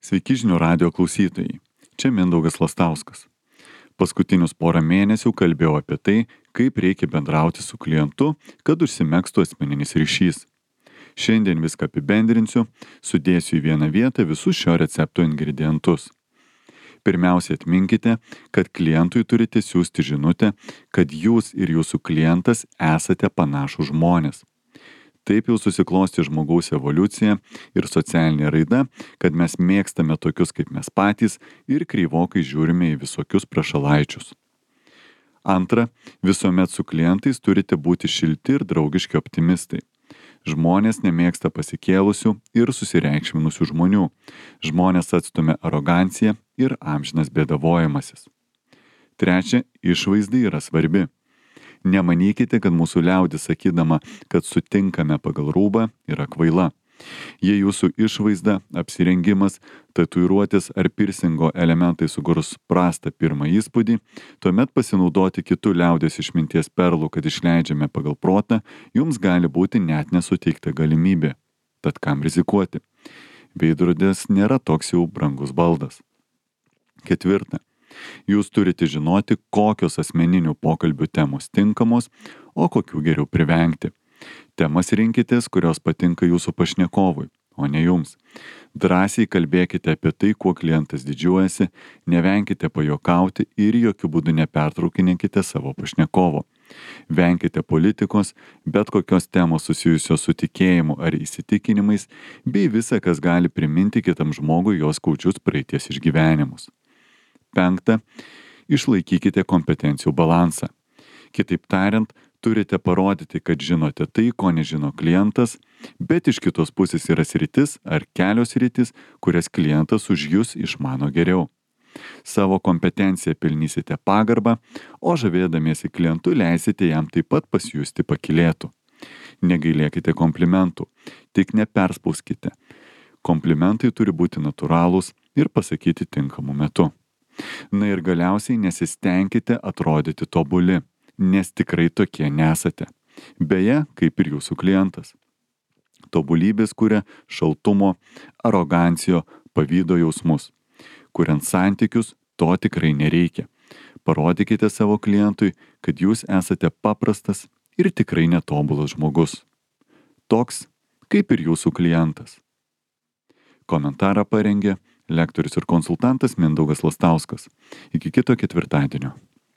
Sveiki žinių radijo klausytojai. Čia Mindaugas Lastauskas. Paskutinius porą mėnesių kalbėjau apie tai, kaip reikia bendrauti su klientu, kad užsimegztų asmeninis ryšys. Šiandien viską apibendrinsiu, sudėsiu į vieną vietą visus šio recepto ingredientus. Pirmiausia, atminkite, kad klientui turite siųsti žinutę, kad jūs ir jūsų klientas esate panašūs žmonės. Taip jau susiklosti žmogaus evoliucija ir socialinė raida, kad mes mėgstame tokius kaip mes patys ir kreivokai žiūrime į visokius prašalaičius. Antra, visuomet su klientais turite būti šilti ir draugiški optimistai. Žmonės nemėgsta pasikėlusių ir susireikšminusių žmonių. Žmonės atstumia aroganciją ir amžinas bėdavojimasis. Trečia, išvaizda yra svarbi. Nemanykite, kad mūsų liaudis sakydama, kad sutinkame pagal rūbą, yra kvaila. Jei jūsų išvaizda, apsirengimas, tatuiruotės ar pirsingo elementai sukurs prastą pirmą įspūdį, tuomet pasinaudoti kitų liaudės išminties perlų, kad išleidžiame pagal protą, jums gali būti net nesuteikta galimybė. Tad kam rizikuoti? Veidrodis nėra toks jau brangus baldas. Ketvirta. Jūs turite žinoti, kokios asmeninių pokalbių temos tinkamos, o kokių geriau privengti. Temas rinkitės, kurios patinka jūsų pašnekovui, o ne jums. Drąsiai kalbėkite apie tai, kuo klientas didžiuojasi, nevenkite pajuokauti ir jokių būdų nepertraukinėkite savo pašnekovo. Venkite politikos, bet kokios temos susijusios su tikėjimu ar įsitikinimais, bei visa, kas gali priminti kitam žmogui jos skaudžius praeities išgyvenimus. Penkta, išlaikykite kompetencijų balansą. Kitaip tariant, turite parodyti, kad žinote tai, ko nežino klientas, bet iš kitos pusės yra sritis ar kelios sritis, kurias klientas už jūs išmano geriau. Savo kompetenciją pelnysite pagarbą, o žavėdamiesi klientu leisite jam taip pat pasijusti pakylėtu. Negailėkite komplimentų, tik neperspauskite. Komplimentai turi būti natūralūs ir pasakyti tinkamu metu. Na ir galiausiai nesistengkite atrodyti tobuli, nes tikrai tokie nesate. Beje, kaip ir jūsų klientas. Tobulybės kuria šaltumo, arogancijo, pavydo jausmus. Kuriant santykius, to tikrai nereikia. Parodykite savo klientui, kad jūs esate paprastas ir tikrai netobulas žmogus. Toks, kaip ir jūsų klientas. Komentarą parengė lektorius ir konsultantas Mindaugas Lastauskas. Iki kito ketvirtadienio.